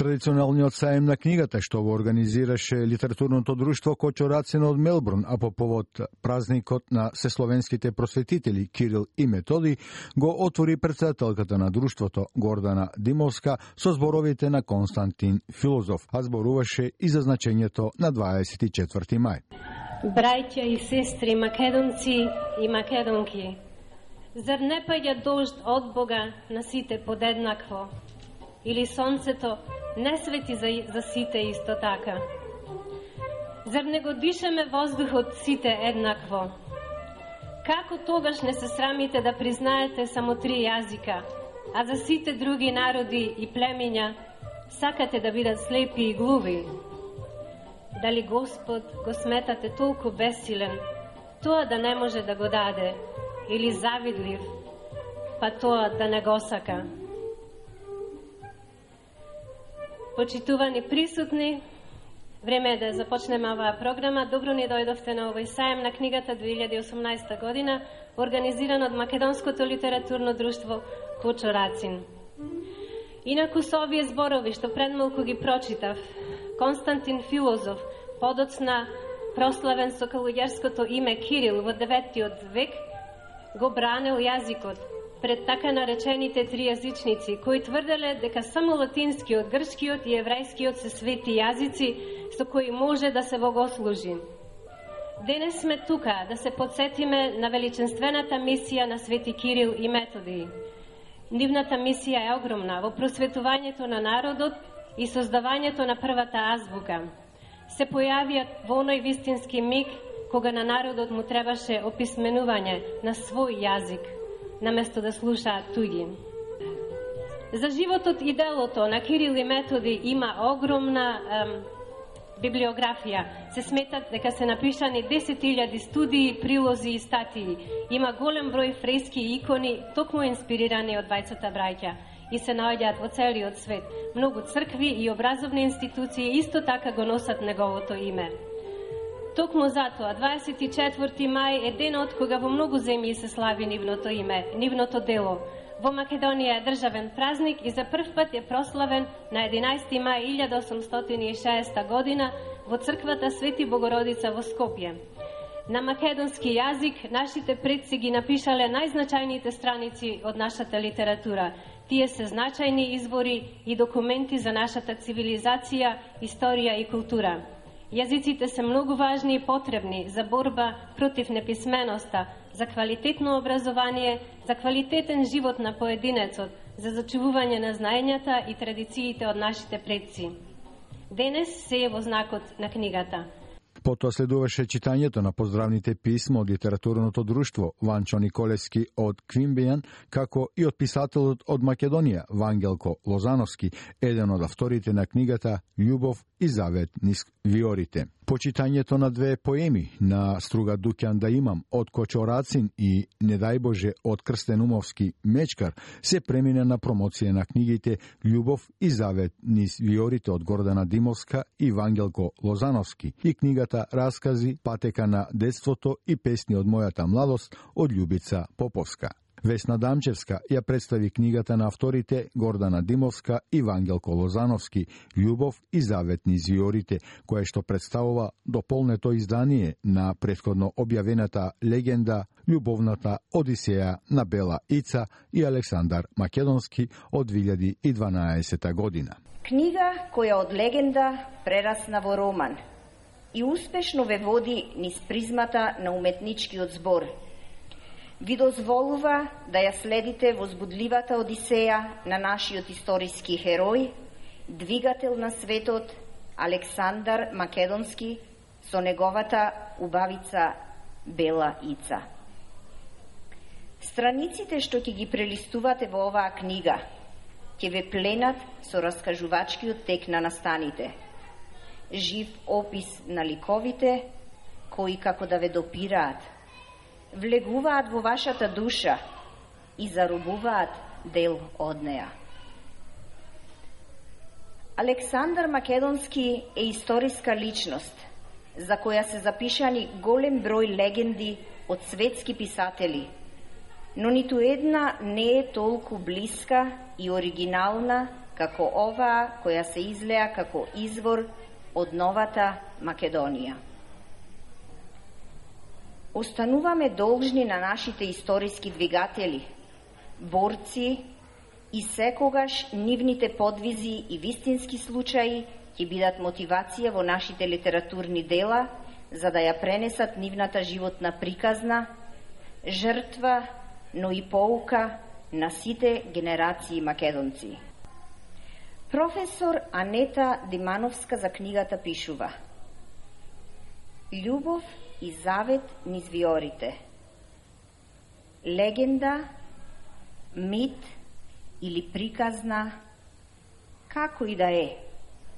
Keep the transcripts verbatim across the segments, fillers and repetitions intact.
традиционалниот саем на книгата што го организираше литературното друштво Кочо Рацин од Мелбурн, а по повод празникот на сесловенските просветители Кирил и Методи, го отвори председателката на друштвото Гордана Димовска со зборовите на Константин Филозоф, а зборуваше и за значењето на дваесет и четврти мај. Браќа и сестри македонци и македонки, зар не паѓа дожд од Бога на сите подеднакво? Или сонцето не свети за, за сите исто така? Зар не го дишаме воздухот сите еднакво? Како тогаш не се срамите да признаете само три јазика, а за сите други народи и племиња сакате да бидат слепи и глуви? Дали Господ го сметате толку бесилен, тоа да не може да го даде, или завидлив, па тоа да не го сака? Почитувани присутни, време е да започнеме оваа програма. Добро ни дојдовте на овој саем на книгата две илјади и осумнаесета година, организиран од Македонското литературно друштво Кочо Рацин. Инаку со овие зборови што пред малку ги прочитав, Константин Филозоф, подоцна прославен со калуѓерското име Кирил во деветиот век, го бранел јазикот пред така наречените тријазичници, кои тврделе дека само латинскиот, грчкиот и еврејскиот се свети јазици со кои може да се богослужи. Денес сме тука да се подсетиме на величенствената мисија на Свети Кирил и Методи. Нивната мисија е огромна во просветувањето на народот и создавањето на првата азбука. Се појавија во оној вистински миг кога на народот му требаше описменување на свој јазик, наместо да слушаат туѓи. За животот и делото на Кирил и Методи има огромна ем, библиографија. Се сметат дека се напишани десет илјади студии, прилози и статии. Има голем број фрески и икони, токму инспирирани од двајцата браќа, и се наоѓаат во целиот свет. Многу цркви и образовни институции исто така го носат неговото име. Токму затоа, дваесет и четврти мај е денот кога во многу земји се слави нивното име, нивното дело. Во Македонија е државен празник и за прв пат е прославен на единаесети мај илјада осумстотини и шеесета година во црквата Свети Богородица во Скопје. На македонски јазик нашите предци ги напишале најзначајните страници од нашата литература. Тие се значајни извори и документи за нашата цивилизација, историја и култура. Јазиците се многу важни и потребни за борба против неписменоста, за квалитетно образование, за квалитетен живот на поединецот, за зачувување на знаењата и традициите од нашите предци. Денес се е во знакот на книгата. Потоа следуваше читањето на поздравните писма од литературното друштво Ванчо Николевски од Квимбејан, како и од писателот од Македонија Вангелко Лозановски, еден од авторите на книгата Љубов и завет низ виорите. Почитањето на две поеми на Струга Дуќан да имам од Кочо Рацин и Не дај Боже од Крстен Умовски Мечкар се премине на промоција на книгите Љубов и завет низ виорите од Гордана Димовска и Вангелко Лозановски и книгата Раскази, патека на детството и песни од мојата младост од Љубица Поповска. Весна Дамчевска ја представи книгата на авторите Гордана Димовска и Вангелко Лозановски Љубов и завет низ виорите, кое што представува дополнето издание на претходно објавената легенда Љубовната одисеја на Бела Ица и Александар Македонски од две илјади и дванаесета година. Книга која од легенда прерасна во роман и успешно ве води низ призмата на уметничкиот збор. Ви дозволува да ја следите возбудливата одисеја на нашиот историски херој, двигател на светот Александар Македонски со неговата убавица Бела Ица. Страниците што ќе ги прелистувате во оваа книга ќе ве пленат со раскажувачкиот тек на настаните, жив опис на ликовите кои како да ве допираат, влегуваат во вашата душа и заробуваат дел од неа. Александар Македонски е историска личност, за која се запишани голем број легенди од светски писатели, но ниту една не е толку блиска и оригинална како оваа која се излеа како извор од новата Македонија. Остануваме должни на нашите историски двигатели, борци и секогаш нивните подвизи и вистински случаи ќе бидат мотивација во нашите литературни дела за да ја пренесат нивната животна приказна, жртва, но и поука на сите генерации македонци. Професор Анета Димановска за книгата пишува: Љубов и завет низ виорите. Легенда, мит или приказна, како и да е,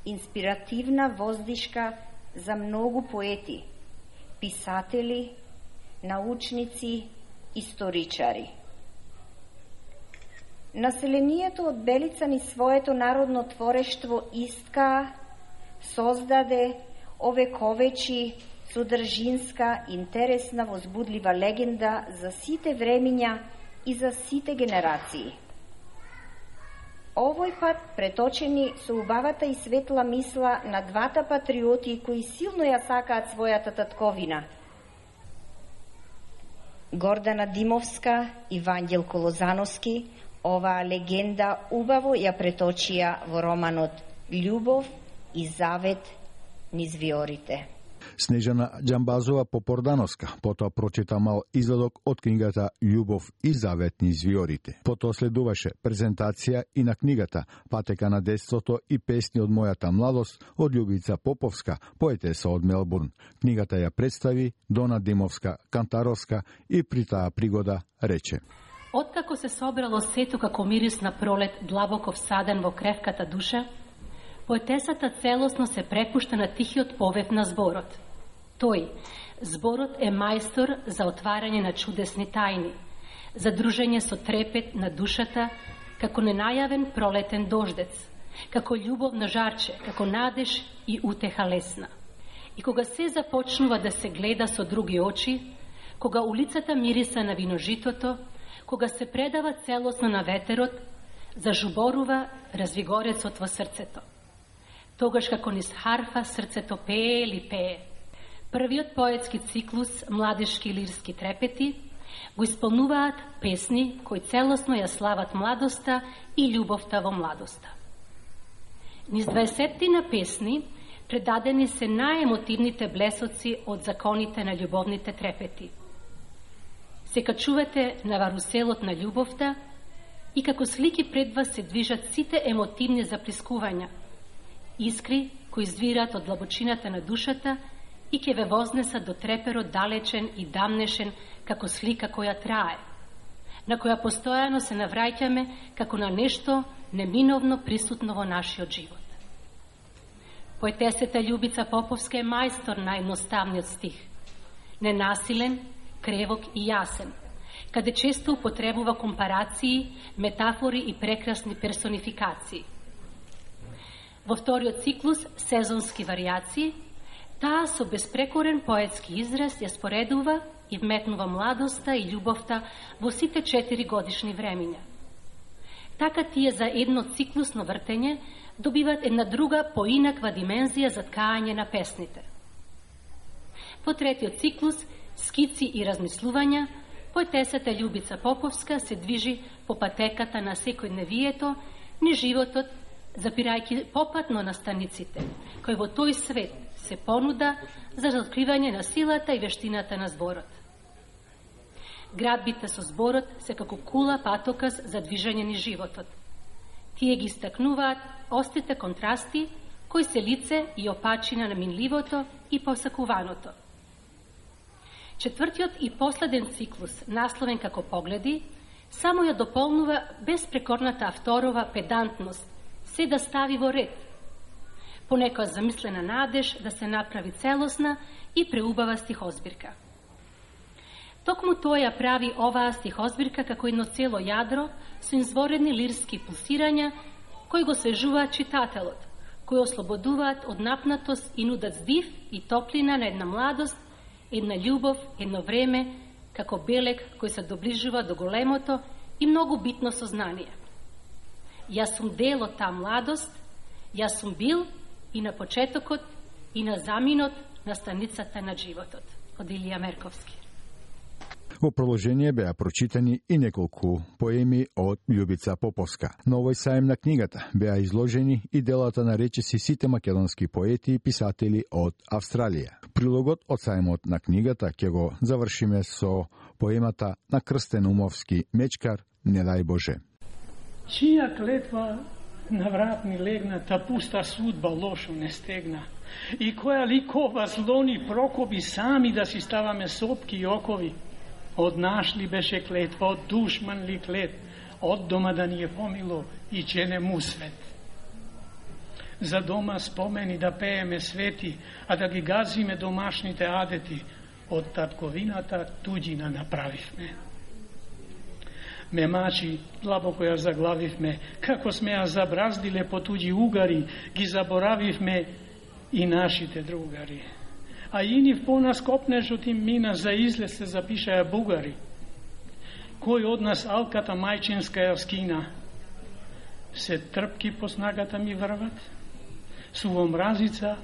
инспиративна воздишка за многу поети, писатели, научници, историчари. Населението од Белица ни своето народно творештво искаа, создаде, овековечи содржинска, интересна, возбудлива легенда за сите времиња и за сите генерации. Овој пат преточени со убавата и светла мисла на двата патриоти кои силно ја сакаат својата татковина. Гордана Димовска и Вангелко Лозановски оваа легенда убаво ја преточија во романот Љубов и завет низ виорите. Снежана Џамбазова Попордановска потоа прочита мал извадок од книгата Љубов и завет низ виорите. Потоа следуваше презентација и на книгата Патека на детството и песни од мојата младост од Љубица Поповска, поетеса од Мелбурн. Книгата ја представи Дона Димовска Кантаровска и при таа пригода рече: Откако се собрало сето како мирис на пролет длабоко всаден во кревката душа, поетесата целосно се препушта на тихиот повев на зборот. Тој, зборот е мајстор за отварање на чудесни тајни, за дружење со трепет на душата, како ненајавен пролетен дождец, како љубовно жарче, како надеж и утеха лесна. И кога се започнува да се гледа со други очи, кога улицата мириса на виножитото, кога се предава целосно на ветерот, зажуборува развигорецот во срцето. Тогаш како низ харфа срцето пее или пее. Првиот поетски циклус Младишки лирски трепети го исполнуваат песни кои целосно ја слават младоста и љубовта во младоста. Низ дваесеттина песни предадени се најемотивните блесоци од законите на љубовните трепети. Се качувате на варуселот на љубовта и како слики пред вас се движат сите емотивни заплискувања, искри кои извират од длабочината на душата и ќе ве вознесат до треперот далечен и дамнешен како слика која трае, на која постојано се навраќаме како на нешто неминовно присутно во нашиот живот. Поетесата Љубица Поповска е мајстор на едноставниот стих, ненасилен, кревок и јасен, каде често употребува компарации, метафори и прекрасни персонификации. Во вториот циклус сезонски варијации, таа со безпрекорен поетски израз ја споредува и вметнува младоста и љубовта во сите четири годишни времиња. Така тие за едно циклусно вртење добиват една друга поинаква димензија за ткање на песните. Во третиот циклус скици и размислувања, поетесата Љубица Поповска се движи по патеката на секојдневието, ни животот, запирајќи попатно на станиците, кој во тој свет се понуда за откривање на силата и вештината на зборот. Градбите со зборот се како кула патокас за движење ни животот. Тие ги стакнуваат острите контрасти кои се лице и опачина на минливото и посакуваното. Четвртиот и последен циклус, насловен како Погледи, само ја дополнува безпрекорната авторова педантност, се да стави во ред, по некоја замислена надеж да се направи целосна и преубава стихозбирка. Токму тоа ја прави оваа стихозбирка како едно цело јадро со изворени лирски пулсирања кои го свежуваат читателот, кои ослободуваат од напнатост и нудат здив и топлина на една младост, една љубов, едно време, како белег кој се доближува до големото и многу битно сознание. Јас сум дел од таа младост, јас сум бил и на почетокот и на заминот на станицата на животот. Од Илија Мерковски. Во продолжение беа прочитани и неколку поеми од Љубица Поповска. На овој саем на книгата беа изложени и делата на речиси сите македонски поети и писатели од Австралија. Прилогот од саемот на книгата ќе го завршиме со поемата на Крстен Умовски Мечкар, не дај Боже. Чија клетва на врат ни легна, та пуста судба лошо не стегна. И која ликова злони прокоби сами да си ставаме сопки и окови. Од наш ли беше клетва, од душман ли клет, од дома да ни е помило и че не му свет. За дома спомени да пееме свети, а да ги газиме домашните адети, од татковината туѓина направивме. Ме мачи, длабоко ја заглавивме, како сме ја забраздиле по туѓи угари, ги заборавивме и нашите другари. А и нив по нас копнежот им мина, за излез се запишаја бугари. Кој од нас алката мајчинска ја скина? Се трпки по снагата ми врват, суво мразица,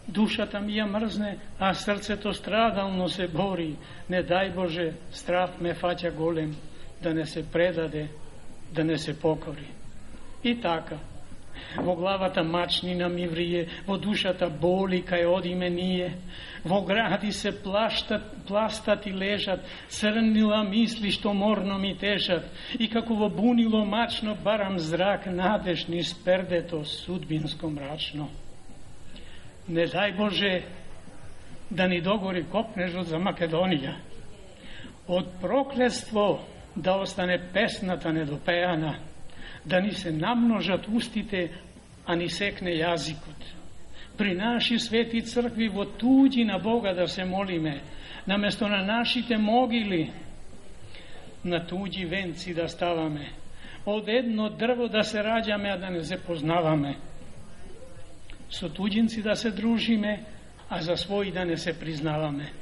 душата ми ја мрзне, а срцето страдално се бори. Не дај Боже, страв ме фаќа голем, да не се предаде, да не се покори. И така, во главата мачнина ми врие, во душата боли кај одиме ние, во гради се плаштат, пластат и лежат, црнила мисли што морно ми тежат, и како во бунило мачно барам зрак надеж низ пердето судбинско мрачно. Не дај Боже да ни догори копнежот за Македонија, од проклетство да остане песната недопеана, да ни се намножат устите, а ни секне јазикот. При наши свети цркви во туѓи на Бога да се молиме, наместо на нашите могили, на туѓи венци да ставаме, од едно дрво да се раѓаме, а да не се познаваме, со туѓинци да се дружиме, а за своји да не се признаваме.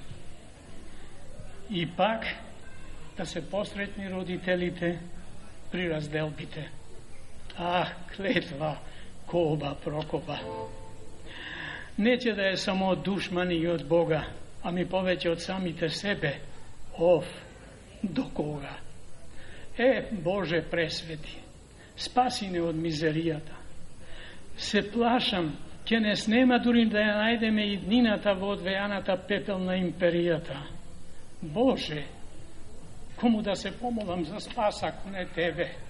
И пак да се посретни родителите при разделбите. Ах, клетва, коба, прокоба. Не ќе да е само од душмани и од Бога, ами повеќе од самите себе. Ов, до кога? Е, Боже пресвети, спаси не од мизеријата. Се плашам, ќе не снема дури да ја најдеме и днината во одвејаната пепел на империјата. Боже, кому да се помолам за спас, ако не Тебе?